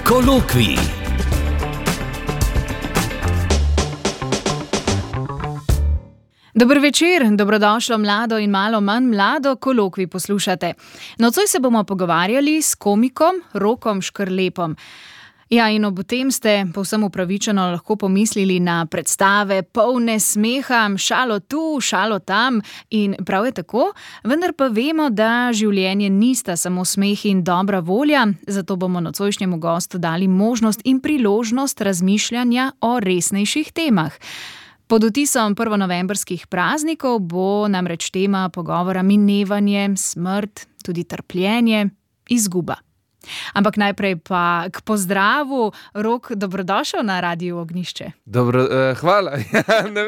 Kolokvij. Dober večer, dobrodošlo mlado in malo manj mlado, Kolokvij poslušate. Nocoj se bomo pogovarjali s komikom Rokom Škrlepom. Ja, in ob tem ste povsem upravičeno lahko pomislili na predstave polne smeha, šalo tu, šalo tam in prav je tako, vendar pa vemo, da življenje nista samo smeh in dobra volja, zato bomo nocojšnjemu gostu dali možnost in priložnost razmišljanja o resnejših temah. Pod vtisom prvonovembrskih praznikov bo namreč tema pogovora minevanje, smrt, tudi trpljenje, izguba. Ampak najprej pa k pozdravu. Rok, dobrodošel na Radiu Ognjišče. Hvala.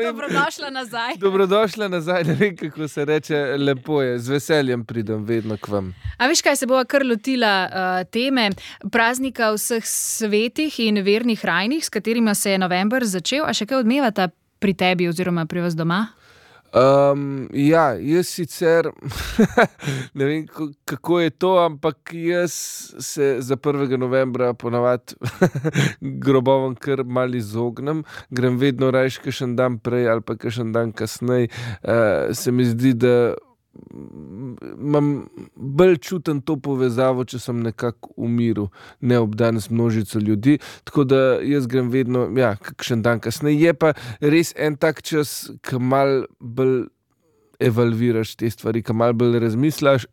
Dobrodošla nazaj. Dobrodošla nazaj, ne vem, kako se reče, lepo je, z veseljem pridem vedno k vam. A veš kaj, se bova kar lotila teme praznika vseh svetih in vernih rajnih, s katerima se je november začel, a še kaj odmevata pri tebi oziroma pri vas doma? Ja, jaz sicer ne vem, kako je to, ampak jaz se za 1. novembra ponavadi grobovom kar malo izognem. Grem vedno rajš kakšen dan prej ali pa kakšen dan kasneje. Se mi zdi, da imam bolj čutim to povezavo, če sem nekako v miru, ne obdan z množico ljudi. Tako da jaz grem vedno, kakšen dan kasneje. Je pa res en tak čas, ki malo bolj evalviraš te stvari, ki malo bolj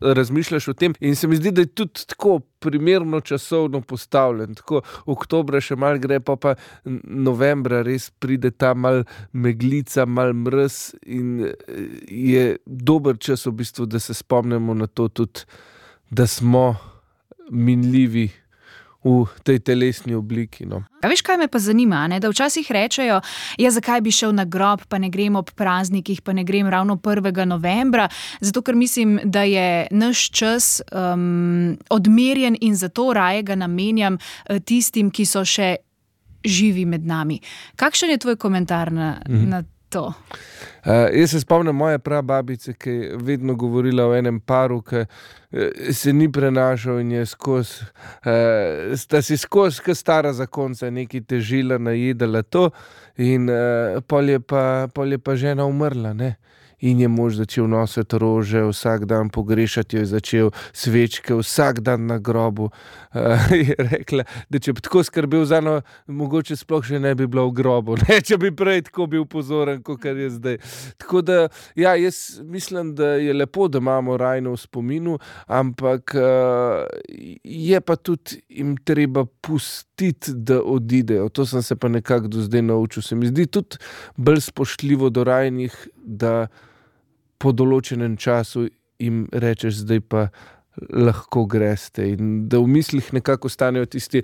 razmišljaš o tem. In se mi zdi, da je tudi tako primerno časovno postavljen. Tako oktobra še malo gre, pa novembra res pride ta malo meglica, malo mraz in je dober čas v bistvu, da se spomnimo na to tudi, da smo minljivi v tej telesni obliki. No. A veš, kaj me pa zanima, ne? Da včasih rečejo, zakaj bi šel na grob, pa ne grem ob praznikih, pa ne grem ravno 1. novembra, zato ker mislim, da je naš čas odmerjen in zato raje ga namenjam tistim, ki so še živi med nami. Kakšen je tvoj komentar na to? Jaz se spomnim moje prababice, ki je vedno govorila o enem paru, ki se ni prenašal in je sta si skozi, kot stara zakonca, nekaj težila, najedala to in pol je pa žena umrla, ne. In je mož začel nositi rože, vsak dan pogrešati jo je začel, svečke, vsak dan na grobu. Je rekla, da če bi tako skrbel za njo, mogoče sploh še ne bi bila v grobu, ne, če bi prej tako bil pozoren, kot je zdaj. Tako da, jaz mislim, da je lepo, da imamo rajno v spominu, ampak je pa tudi jim treba pustiti, da odidejo. To sem se pa nekako do zdaj naučil. Se mi zdi tudi bolj spoštljivo do rajnih, da po določenem času jim rečeš, zdaj pa lahko greste in da v mislih nekako ostanejo tisti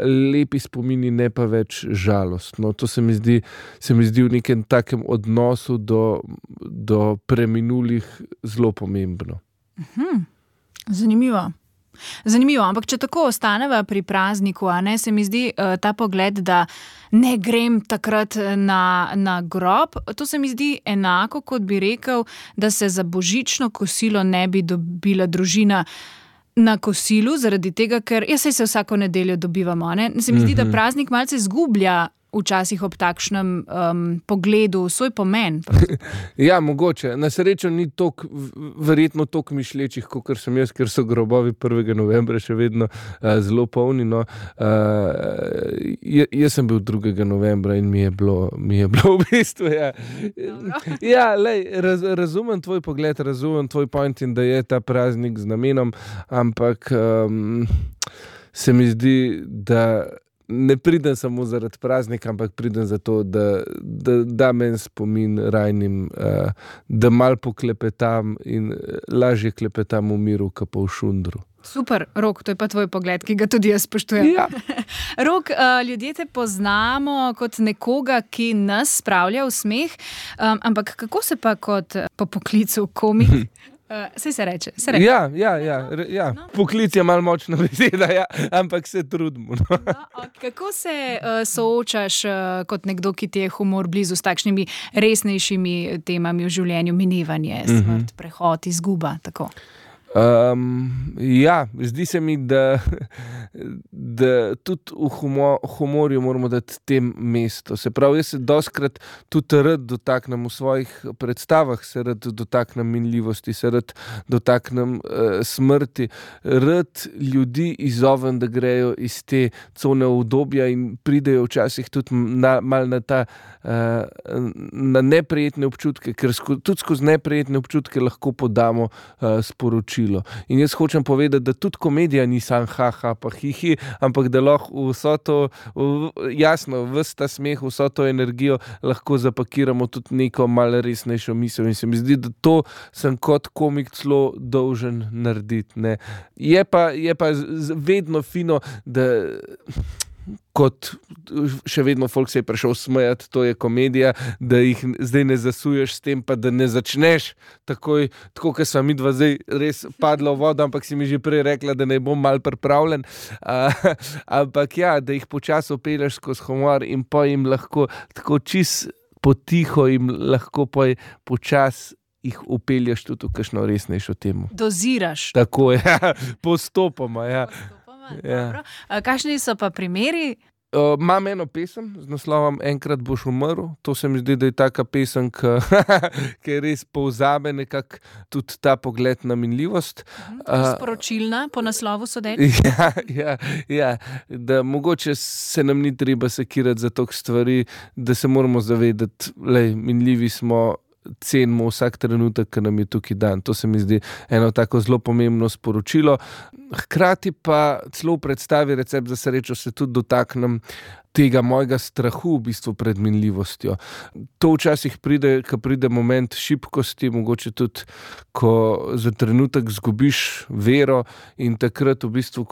lepi spomini, ne pa več žalost. No, to se mi zdi v nekem takem odnosu do preminulih zelo pomembno. Zanimivo, ampak če tako ostaneva pri prazniku, a ne, se mi zdi ta pogled, da ne grem takrat na grob, to se mi zdi enako, kot bi rekel, da se za božično kosilo ne bi dobila družina na kosilu, zaradi tega, ker saj se vsako nedeljo dobivamo, ne? Se mi zdi, da praznik malce zgublja včasih ob takšnem pogledu svoj pomen. Ja, mogoče. Na srečo ni verjetno toliko mišlječih, kakor sem jaz, ker so grobovi 1. novembra še vedno zelo polni. No. Jaz sem bil 2. novembra in mi je bilo v bistvu, razumem tvoj pogled, razumem tvoj point in da je ta praznik z namenom, ampak se mi zdi, da ne pridem samo zaradi praznika, ampak pridem zato, da meni spomin rajnim, da malo poklepetam in lažje klepetam v miru, kot pa v šundru. Super, Rok, to je pa tvoj pogled, ki ga tudi jaz spoštujem. Ja. Rok, ljudje te poznamo kot nekoga, ki nas spravlja v smeh, ampak kako se pa kot po poklicu komik Saj se reče. Ja. No. Poklic je malo močna beseda, ampak se trudimo. No. Kako se soočaš kot nekdo, ki ti je humor blizu s takšnimi resnejšimi temami v življenju, minevanje, smrt, prehod, izguba, tako? Ja, zdi se mi, da tudi v humorju moramo dati tem mesto. Se pravi, jaz se dostikrat tudi rad dotaknem v svojih predstavah, se rad dotaknem minljivosti, se rad dotaknem smrti, rad ljudi izzovem, da grejo iz te cone obdobja in pridejo včasih tudi malo na ta na neprijetne občutke, ker tudi skozi neprijetne občutke lahko podamo sporočilo. In jaz hočem povedati, da tudi komedija ni samo ha, pa hi, ampak da lahko vso to, jasno, ves ta smeh, vso to energijo lahko zapakiramo tudi neko malo resnejšo misel. In se mi zdi, da to sem kot komik celo dolžen narediti, ne. Je pa vedno fino, da kot še vedno folk se je prišel smejati, to je komedija, da jih zdaj ne zasuješ s tem, pa da ne začneš takoj, tako kot sva midva zdaj res padla v vodo, ampak si mi že prej rekla, da ne bom malo pripravljen. Ampak ja, da jih počasi pelješ skozi humor in pa jim lahko tako čist potiho jim lahko počasi jih upelješ tudi v kakšno resnejšo temo. Doziraš. Tako je, postopoma, ja. Ja. Kakšni so pa primeri? Imam eno pesem z naslovom Enkrat boš umrl. To se mi zdi, da je taka pesem, ki res povzame nekako tudi ta pogled na minljivost. Sporočilna, po naslovu sodeč? Ja, da mogoče se nam ni treba sekirati za toliko stvari, da se moramo zavedati, minljivi smo, cenimo vsak trenutek, ki nam je tukaj dan. To se mi zdi eno tako zelo pomembno sporočilo. Hkrati pa celo v predstavi Recept za srečo se tudi dotaknem tega mojega strahu v bistvu pred minljivostjo. To včasih pride, ko pride moment šibkosti, mogoče tudi, ko za trenutek zgubiš vero in takrat v bistvu,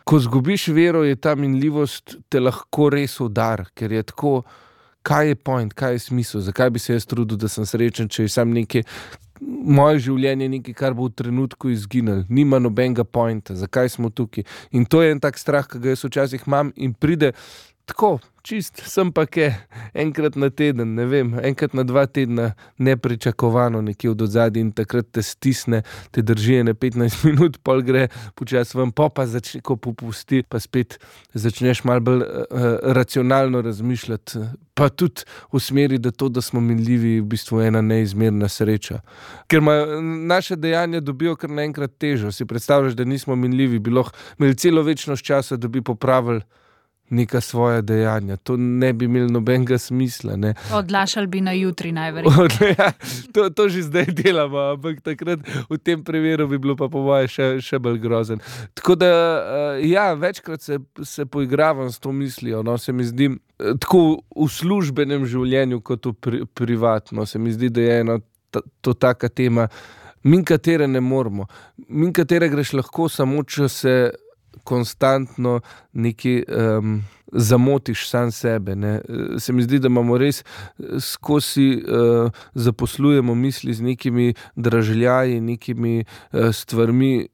ko zgubiš vero, je ta minljivost te lahko res udar, ker je tako, kaj je point, kaj je smisel, zakaj bi se jaz trudil, da sem srečen, če je sam nekaj, moje življenje nekaj, kar bo v trenutku izginilo, nima nobenega pointa, zakaj smo tukaj. In to je en tak strah, ki ga jaz včasih imam in pride tako, čist, sem pa enkrat na teden, ne vem, enkrat na 2 tedna nepričakovano nekje od odzadaj in takrat te stisne, te drži ene 15 minut, pol gre počasi ven, pa začne, ko popusti, pa spet začneš malo bolj racionalno razmišljati, pa tudi v smeri, da to, da smo minljivi, v bistvu ena neizmerna sreča. Ker naše dejanja dobijo kar naenkrat težo. Si predstavljaš, da nismo minljivi, bi lahko imeli celo večnost časa, da bi popravili neka svoja dejanja. To ne bi imeli nobenega smisla, ne. Odlašali bi na jutri najverjetneje. To že zdaj delamo, ampak takrat v tem primeru bi bilo pa po moje še bolj grozen. Tako da, ja, večkrat se poigravam s to mislijo, no, se mi zdi, tako v službenem življenju kot v privatno, se mi zdi, da je ena to taka tema, min katere ne moremo, min katere greš lahko samo, če se konstantno nekaj zamotiš sam sebe, ne. Se mi zdi, da imamo res skozi zaposlujemo misli z nekimi dražljaji, nekimi stvarmi,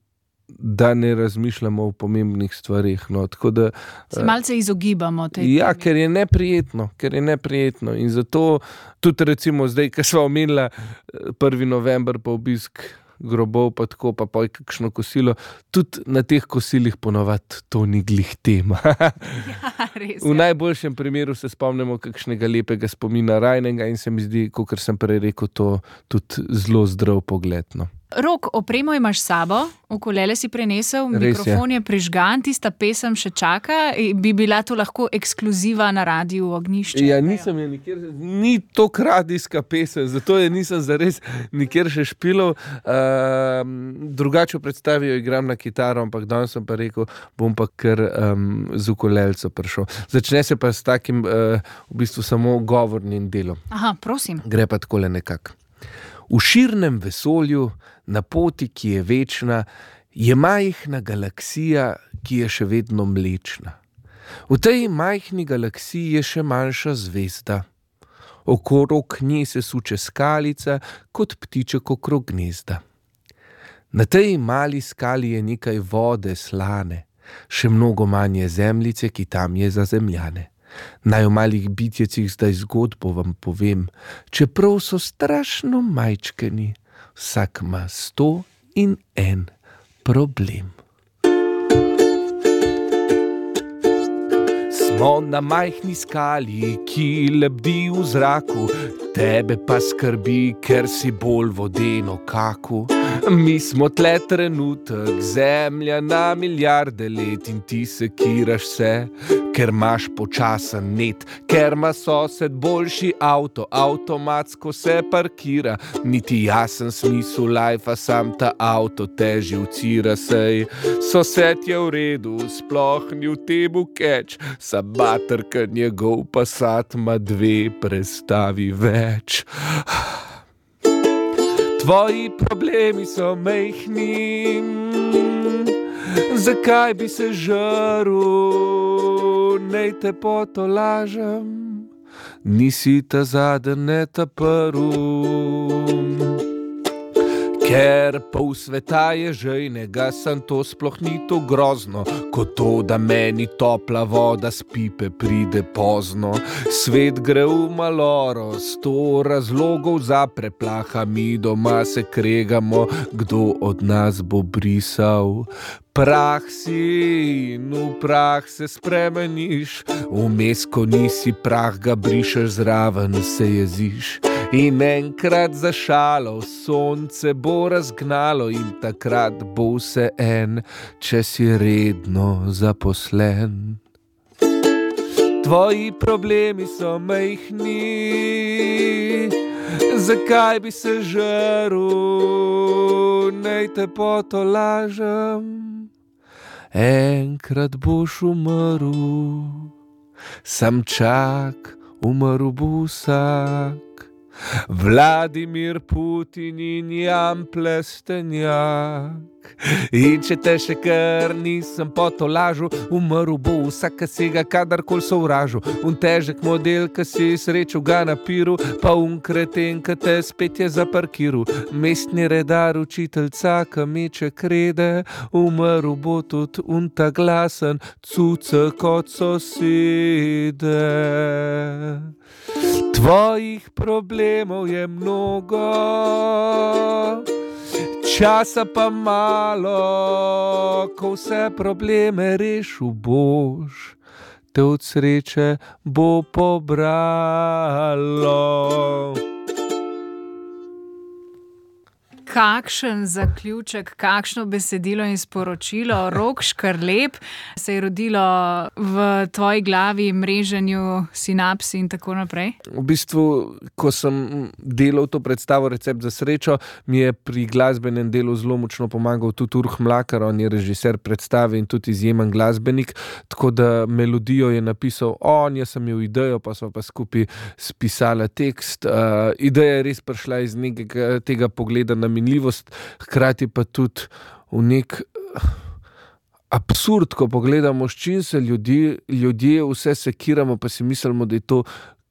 da ne razmišljamo o pomembnih stvareh, no, tako da se malce izogibamo tej temi. Ja, ker je neprijetno in zato tudi recimo zdaj, ko sva omenila 1. november pa obisk grobov, pa tako, pa kakšno kosilo, tudi na teh kosilih ponavadi to ni glih tema. Ja, res. V najboljšem primeru se spomnimo kakšnega lepega spomina rajnega in se mi zdi, kakor sem prej rekel, to tudi zelo zdrav pogled, no. Rok, opremo imaš s sabo, ukulele si prinesel, mikrofon je prižgan, tista pesem še čaka, bi bila to lahko ekskluziva na Radiu Ognjišče? Ja, nisem je nikjer, ni toliko radijska pesem, zato je nisem zares nikjer še špilal. Drugače v predstavi jo igram na kitaro, ampak danes sem pa rekel, bom pa kar z ukulelco prišel. Začne se pa s takim v bistvu samo govornim delom. Aha, prosim. Gre pa takole nekako. V širnem vesolju, na poti, ki je večna, je majhna galaksija, ki je še vedno mlečna. V tej majhni galaksiji je še manjša zvezda. Okrog nje se suče skalica, kot ptiček okrog gnezda. Na tej mali skali je nekaj vode slane, še mnogo manje zemljice, ki tam je za zemljane. Naj o malih bitjecih zdaj zgodbo vam povem, čeprav so strašno majčkeni, vsak ima 100 in en problem. Smo na majhni skali, ki lebdi v zraku, tebe pa skrbi, ker si bolj vodeno kaku. Mi smo tle trenutek, zemlja na milijarde let in ti sekiraš se, ker imaš počasen net, ker ima sosed boljši avto, avtomatsko se parkira, niti jasen smisel lajfa, sam ta avto te živcira, sej sosed je v redu, sploh ni v tebu keč, sabater, ker njegov Passat ima 2 prestavi več. Tvoji problemi so majhni, zakaj bi se žaril, nej te potolažem, nisi ta zaden, ne ta prv. Ker pol sveta je žejnega, sem to sploh ni to grozno, kot to, da meni topla voda s pipe pride pozno. Svet gre v maloro, 100 razlogov za preplaha, mi doma se kregamo, kdo od nas bo brisal. Prah si in v prah se spremeniš, vmes, ko nisi prah, ga brišeš, zraven se jeziš. In enkrat za šalo sonce bo razgnalo in takrat bo vse en, če si redno zaposlen. Tvoji problemi so majhni, zakaj bi se žaril, nej te potolažem, enkrat boš umrl, sam čak, umrl bo vsak. Vladimir Putin in Jan Plestenjak. In če te še kar nisem potolažil, umrl bo vsak, ki si ga kadarkoli sovražil. Un težek model, ki si srečal ga na piru, pa un kreten, ki te spet je zaparkiral. Mestni redar, učiteljca, ki meče krede, umrl bo tudi un ta glasen cuce kot sosede. Tvojih problemov je mnogo, časa pa malo, ko vse probleme rešil boš, te od sreče bo pobralo. Kakšen zaključek, kakšno besedilo in sporočilo. Rok Škrlep, se je rodilo v tvoji glavi, mreženju sinaps in tako naprej? V bistvu, ko sem delal to predstavo Recept za srečo, mi je pri glasbenem delu zelo močno pomagal tudi Urh Mlakar, on je režiser predstave in tudi izjemen glasbenik, tako da melodijo je napisal on, jaz sem imel idejo, pa sva pa skupaj spisala tekst. Ideja je res prišla iz nekega tega pogleda na minljivost, hkrati pa tudi v nek absurd, ko pogledamo, s čim se ljudje vse sekiramo, pa si mislimo, da je to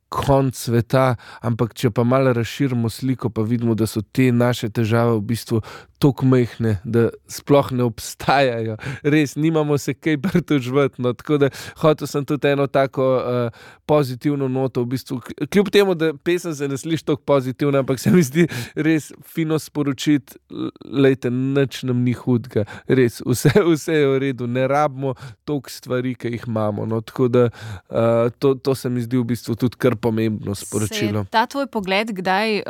konc sveta, ampak če pa malo razširimo sliko, pa vidimo, da so te naše težave v bistvu toliko majhne, da sploh ne obstajajo. Res, nimamo se kaj pritoževati, no, tako da hotel sem tudi eno tako pozitivno noto, v bistvu, kljub temu, da pesem se ne sliši toliko pozitivno, ampak se mi zdi res fino sporočiti, lejte, nič nam ni hudega, res, vse je v redu, ne rabimo toliko stvari, ki jih imamo, no, tako da to se mi zdi v bistvu tudi kar pomembno sporočilo. Se je ta tvoj pogled kdaj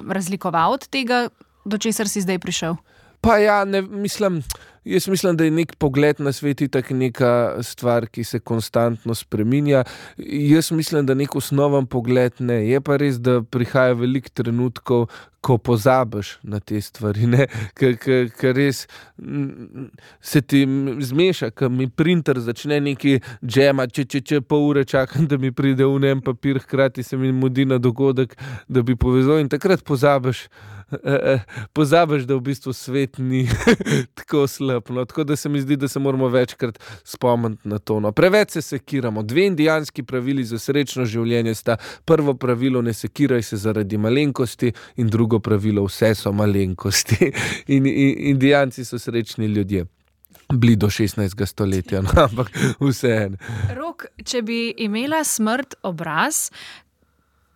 razlikoval od tega, do česar si zdaj prišel? Pa ja, jaz mislim, da je nek pogled na svet itak neka stvar, ki se konstantno spreminja. Jaz mislim, da nek osnoven pogled ne. Je pa res, da prihaja veliko trenutkov, ko pozabiš na te stvari, ne? Ker res se ti zmeša, ko mi printer začne neki džemati, če pol ure čakam, da mi pride v en papir, hkrati se mi mudi na dogodek, da bi povezal in takrat pozabiš, da v bistvu svet ni tako slab. No. Tako da se mi zdi, da se moramo večkrat spomniti na to. No. Preveč se sekiramo. 2 indijanski pravili za srečno življenje sta: prvo pravilo, ne sekiraj se zaradi malenkosti, in drugo pravilo, vse so malenkosti. In Indijanci so srečni ljudje. Bili do 16. stoletja, no, ampak vseeno. Rok, če bi imela smrt obraz,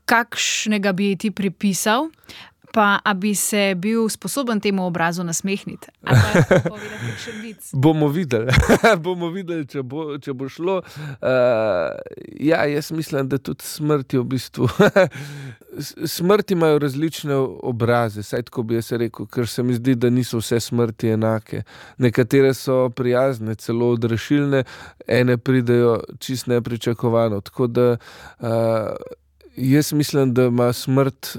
kakšnega bi ti pripisal? Pa, a bi se bil sposoben temu obrazu nasmehniti? Ali pa povedati kakšen vic? Bomo videli, če bo šlo. Jaz mislim, da tudi smrti v bistvu. Smrti imajo različne obraze, saj tako bi jaz rekel, ker se mi zdi, da niso vse smrti enake. Nekatere so prijazne, celo odrešilne, ene pridejo čisto nepričakovano. Tako da jaz mislim, da ima smrt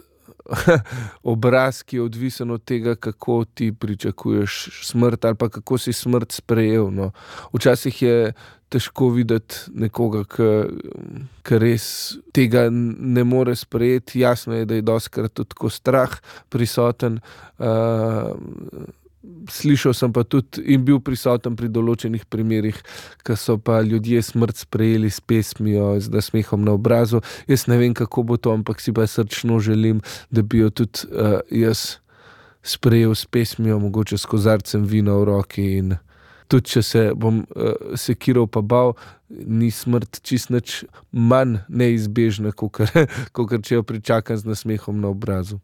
obraz, ki je odvisen od tega, kako ti pričakuješ smrt ali pa kako si smrt sprejel. No. Včasih je težko videti nekoga, ki res tega ne more sprejeti. Jasno je, da je dostikrat tudi tako strah prisoten. Slišal sem pa tudi in bil prisoten pri določenih primerih, ko so pa ljudje smrt sprejeli s pesmijo, z nasmehom na obrazu. Jaz ne vem, kako bo to, ampak si pa srčno želim, da bi jo tudi jaz sprejel s pesmijo, mogoče s kozarcem vina v roki. In tudi, če se bom sekiral pa bal, ni smrt čist nič manj neizbežna, kakor če jo pričakam z nasmehom na obrazu.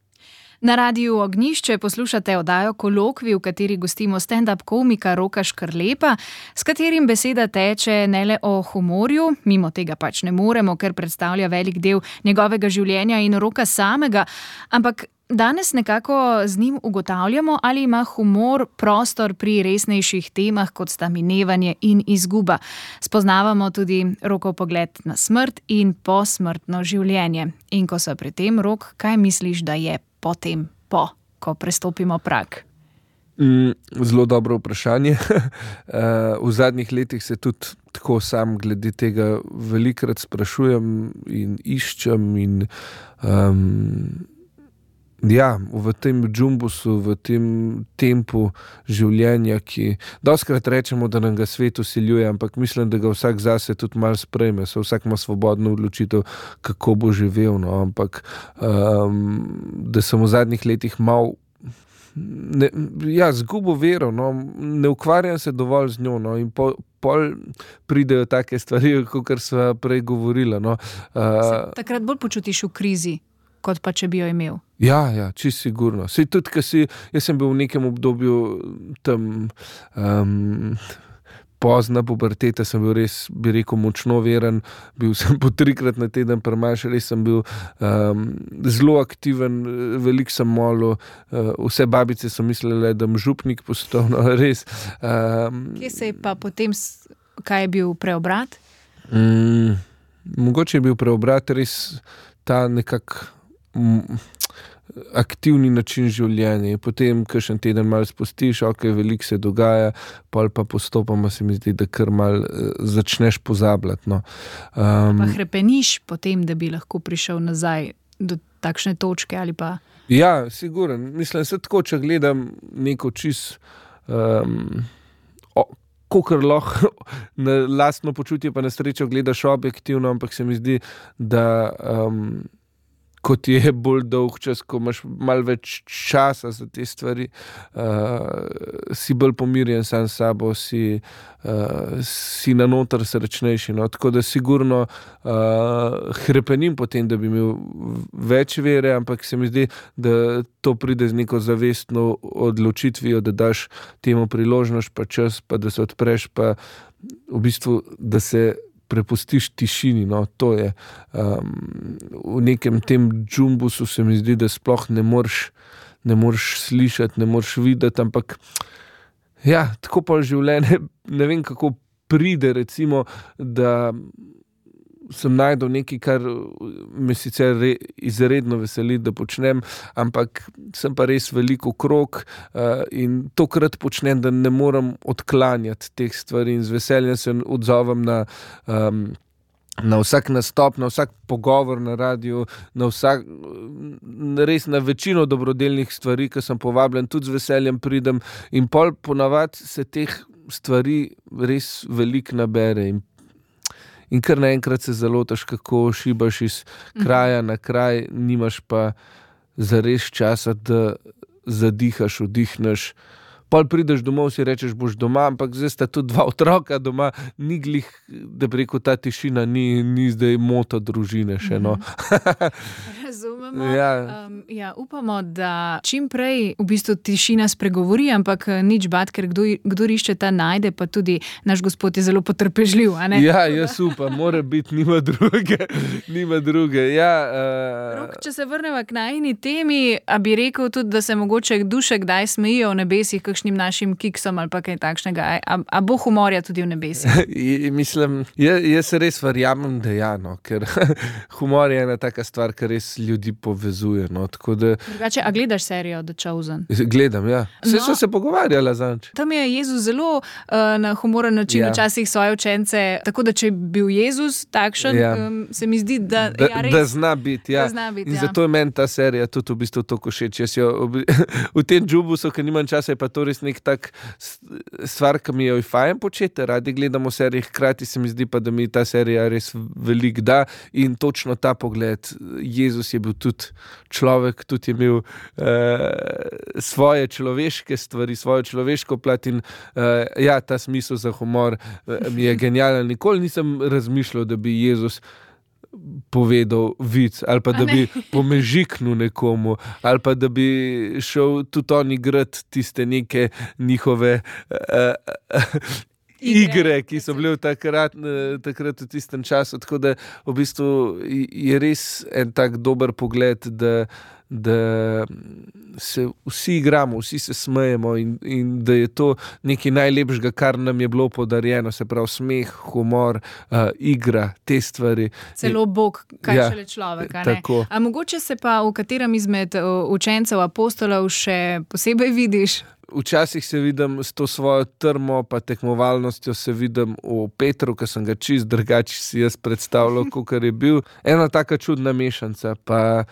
Na Radiu Ognjišče poslušate oddajo Kolokvij, v kateri gostimo stand-up komika Roka Škrlepa, s katerim beseda teče ne le o humorju, mimo tega pač ne moremo, ker predstavlja velik del njegovega življenja in Roka samega, ampak danes nekako z njim ugotavljamo, ali ima humor prostor pri resnejših temah, kot sta minevanje in izguba. Spoznavamo tudi Rokov pogled na smrt in posmrtno življenje. In ko so pri tem, Rok, kaj misliš, da je potem, ko prestopimo prag? Zelo dobro vprašanje. V zadnjih letih se tudi tako sam glede tega velikokrat sprašujem in iščem in v tem džumbusu, v tem tempu življenja, ki dostikrat rečemo, da nam ga svet vsiljuje, ampak mislim, da ga vsak zase tudi malo sprejme, vsak ima svobodno odločitev, kako bo živel, no, ampak da sem v zadnjih letih malo zgubo vero, no, ne ukvarjam se dovolj z njo, no, in pol pridejo take stvari, kakor sva prej govorila, no. Takrat bolj počutiš v krizi, kot pa če bi jo imel. Ja, čisto sigurno. Sej tudi, jaz sem bil v nekem obdobju tam pozna puberteta, sem bil res, bi rekel, močno veren, bil sem po 3-krat na teden pri maši, res sem bil zelo aktiven, veliko sem molil, vse babice so mislile, da bom župnik postal, no, res. Kje se je pa potem, kaj je bil preobrat? Mogoče je bil preobrat res ta nekak aktivni način življenja. Potem, kakšen teden malo spustiš, veliko se dogaja, pol pa postopoma se mi zdi, da kar malo začneš pozabljati. No. Pa hrepeniš potem, da bi lahko prišel nazaj do takšne točke ali pa... Ja, siguren. Mislim, se tako, če gledam neko čist kakor lahko na lastno počutje pa na srečo gledaš objektivno, ampak se mi zdi, da kot je bolj dolg čas, ko imaš malo več časa za te stvari, si bolj pomirjen sam s sabo, si na noter srečnejši. No? Tako da sigurno hrepenim potem, da bi imel več vere, ampak se mi zdi, da to pride z neko zavestno odločitvijo, da daš temu priložnost, pa čas, pa da se odpreš, pa v bistvu, da se prepustiš tišini, no, to je. V nekem tem džumbusu se mi zdi, da sploh ne moreš slišati, ne moreš videti, ampak tako pa življenje, ne vem, kako pride, recimo, da sem najdel nekaj, kar me sicer izredno veseli, da počnem, ampak sem pa res veliko okrog in tokrat počnem, da ne morem odklanjati teh stvari in z veseljem se odzovem na vsak nastop, na vsak pogovor na radiju, res na večino dobrodelnih stvari, ki sem povabljen, tudi z veseljem pridem in pol ponavadi se teh stvari res veliko nabere in kar naenkrat se zalotaš, kako šibaš iz kraja na kraj, nimaš pa zares časa, da zadihaš, vdihneš. Pol prideš domov, si rečeš, boš doma, ampak zdaj sta tudi 2 otroka doma, ni glih, da bi rekel, ta tišina ni zdaj moto družine še, no. razumemo. Ja. Upamo, da čim prej v bistvu tišina spregovori, ampak nič bad, ker kdor išče, ta najde, pa tudi naš Gospod je zelo potrpežljiv. A ne? Ja, jaz upam, mora biti, nima druge. Ja, Rok, če se vrnemo k najini temi, a bi rekel tudi, da se mogoče duše kdaj smejijo v nebesih kakšnim našim kiksom ali pa kaj takšnega. A bo humorja tudi v nebesih? Mislim, jaz res verjamem, da ja, no, ker humor je ena taka stvar, ki res ljudi povezuje. No, Drugače, a gledaš serijo The Chosen? Gledam, ja. So se pogovarjala zanč. Tam je Jezus zelo na humoren način včasih svoje učence, tako da če je bil Jezus takšen, se mi zdi, da zna biti. Ja. In zato je meni ta serija tudi v bistvu toliko všeč. V tem džubusu, ker nimam časa, je pa to res nek tak stvar, ki mi jo je fajn početi. Radi gledamo serije, hkrati se mi zdi pa, da mi ta serija res veliko da in točno ta pogled. Jezus je bil tudi človek, tudi je imel svoje človeške stvari, svojo človeško plat in ta smisel za humor mi je genijalen. Nikoli nisem razmišljal, da bi Jezus povedal vic ali pa da bi pomežiknil nekomu ali pa da bi šel tudi on igrati tiste neke njihove igre, ki so bile takrat v tistem času. Tako da v bistvu je res en tak dober pogled, da se vsi igramo, vsi se smejemo in da je to nekaj najlepšega, kar nam je bilo podarjeno, se pravi smeh, humor, igra, te stvari. Celo Bog, kaj šele človek. Tako. A mogoče se pa v katerem izmed učencev apostolov še posebej vidiš? Včasih se vidim s to svojo trmo pa tekmovalnostjo, se vidim v Petru, ki sem ga čist drugače si jaz predstavljal, kakor je bil. Ena taka čudna mešanca, pa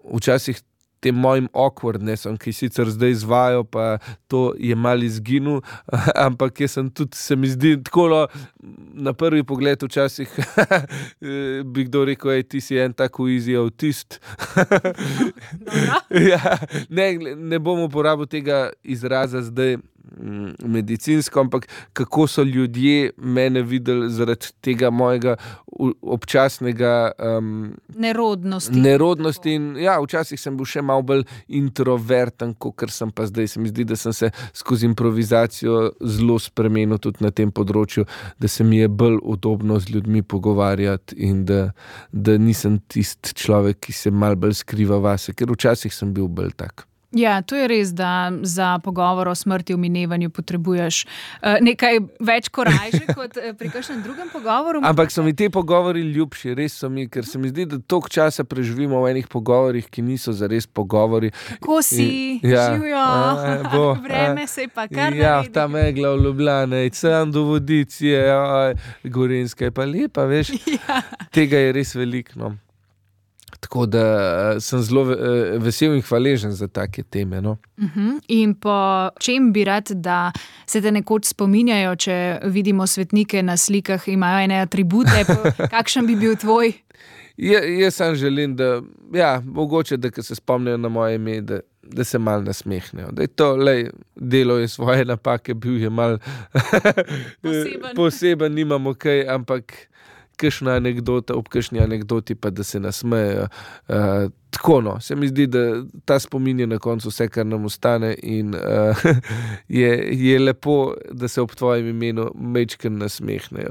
včasih tem mojim awkwardnessom, ki sicer zdaj izvajo, pa to je malo izginil, ampak jaz sem tudi, se mi zdi, tako na prvi pogled včasih bi kdo rekel, ti si en tako easy autist. Ja, ne bom uporabil tega izraza zdaj medicinsko, ampak kako so ljudje mene videli zaradi tega mojega občasnega nerodnosti in včasih sem bil še malo bolj introverten, kakor sem pa zdaj. Se mi zdi, da sem se skozi improvizacijo zelo spremenil tudi na tem področju, da se mi je bolj udobno z ljudmi pogovarjati in da nisem tisti človek, ki se malo bolj skriva vase, ker včasih sem bil bolj tak. Ja, to je res, da za pogovor o smrti v minevanju potrebuješ nekaj več korajže kot pri kakšnem drugem pogovoru. Ampak so mi te pogovori ljubši, res so mi, ker se mi zdi, da toliko časa preživimo v enih pogovorih, ki niso zares pogovori. Kako si, živijo, vreme se je pa kar naredi. Ja, ta megla v Ljubljane, sem do Vodice, Gorenjska je pa lepa, veš. Ja. Tega je res veliko, no. Tako da sem zelo vesel in hvaležen za take teme. No. In po čem bi rad, da se te nekoč spominjajo, če vidimo svetnike na slikah, imajo ene atribute, kakšen bi bil tvoj? Jaz sam želim, da, mogoče, da ko se spomnijo na moje ime, da se malo nasmehnejo. Da je to, delo je svoje napake, bil je malo poseben, nimamo kaj, ampak kakšna anekdota, ob kakšni anekdoti pa da se nasmejejo. Tako, no, se mi zdi, da ta spomin je na koncu vse, kar nam ostane in je lepo, da se ob tvojem imenu majčkeno nasmehnejo.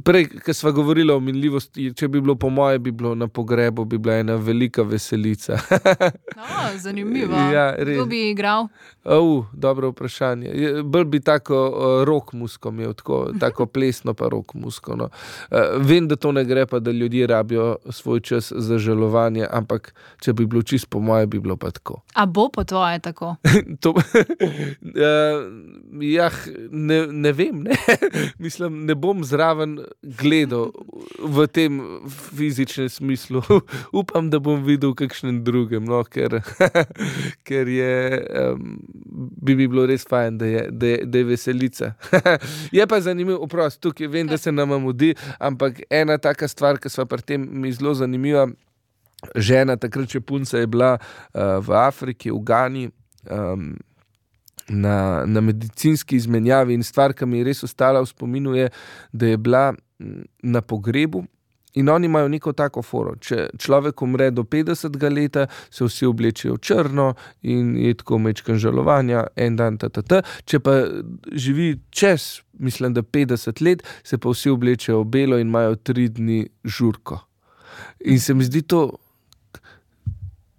Prej, ko sva govorila o minljivosti, če bi bilo po moje, bi bilo na pogrebu, bi bila ena velika veselica. Zanimivo. Ja, res. Kdo bi igral? Dobro vprašanje. Bolj bi tako rock musko imel, tako plesno pa rock musko. No. Vem, da to ne gre pa, da ljudje rabijo svoj čas za žalovanje, ampak če bi bilo čisto po moje, bi bilo pa tako. A bo po tvoje tako? Ne vem, ne. Mislim, ne bom zraven gledal v tem fizičnem smislu. Upam, da bom videl kakšnem drugem, no, ker je bi bilo res fajn, da je veselica. Je pa zanimiv, tukaj vem, da se nama mudi, ampak ena taka stvar, ki sva pri tem mi zelo zanimiva, žena, takrat še punca je bila v Afriki, v Gani, na medicinski izmenjavi in stvar, ki mi je res ostala v spominu je, da je bila na pogrebu In oni imajo neko tako foro. Če človek umre do 50. leta, se vsi oblečejo črno in je tako mečkan žalovanja, en dan, Če pa živi čez, mislim, da 50 let, se pa vsi oblečejo v belo in imajo 3 dni žurko. In se mi zdi to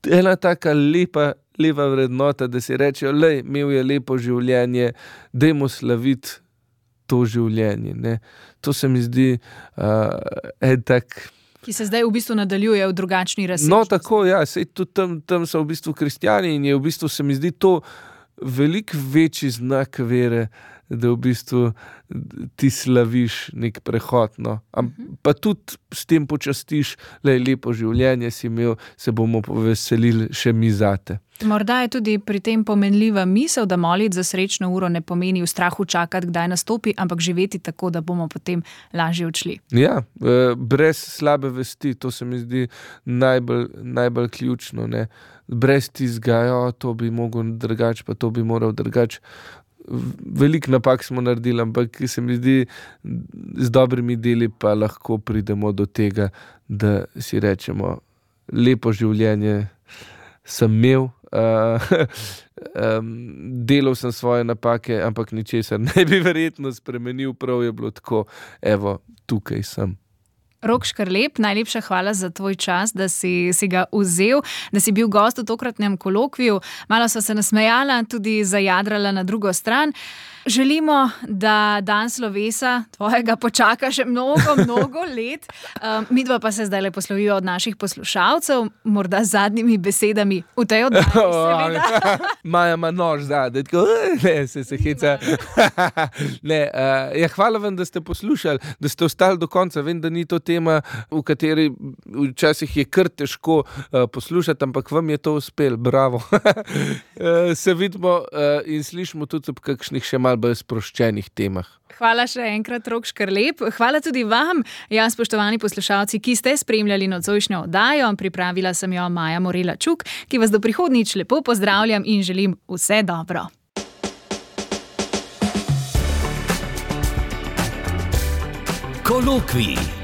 ena taka lepa vrednota, da si rečejo, imel je lepo življenje, dajmo slaviti to življenje, ne. To se mi zdi ki se zdaj v bistvu nadaljuje v drugačni razsežnosti. No, tako, ja, sej tudi tam so v bistvu kristjani in je v bistvu, se mi zdi to veliko večji znak vere, da v bistvu ti slaviš nek prehod, no. Pa tudi s tem počastiš, lepo življenje si imel, se bomo poveselili še mi zate. Morda je tudi pri tem pomenljiva misel, da moliti za srečno uro ne pomeni v strahu čakati, kdaj nastopi, ampak živeti tako, da bomo potem lažje odšli. Ja, brez slabe vesti, to se mi zdi najbolj ključno, ne. Brez tizga, to bi mogel drugače, pa to bi moral drugače. Veliko napak smo naredili, ampak se mi zdi, z dobrimi deli pa lahko pridemo do tega, da si rečemo, lepo življenje sem imel, delal sem svoje napake, ampak ničesar ne bi verjetno spremenil, prav je bilo tako, evo, tukaj sem. Rok Škrlep, najlepša hvala za tvoj čas, da si ga vzel, da si bil gost v tokratnem kolokviju. Malo sva se nasmejala, tudi zajadrala na drugo stran. Želimo, da dan slovesa tvojega počaka še mnogo let. Midva pa se zdaj poslovijo od naših poslušalcev, morda z zadnjimi besedami v tej oddaji, seveda. Maja ima nož zadaj, tako, se heca. Hvala vam, da ste poslušali, da ste ostali do konca. Vem, da ni to tema, v kateri včasih je kar težko poslušati, ampak vam je to uspelo, bravo. Se vidimo in slišimo tudi ob kakšnih še malo bolj sproščenih temah. Hvala še enkrat, Rok Škrlep. Hvala tudi vam, spoštovani poslušalci, ki ste spremljali nocojšnjo oddajo. Pripravila sem jo Maja Morela Čuk, ki vas do prihodnjič lepo pozdravljam in želim vse dobro. Kolokvij.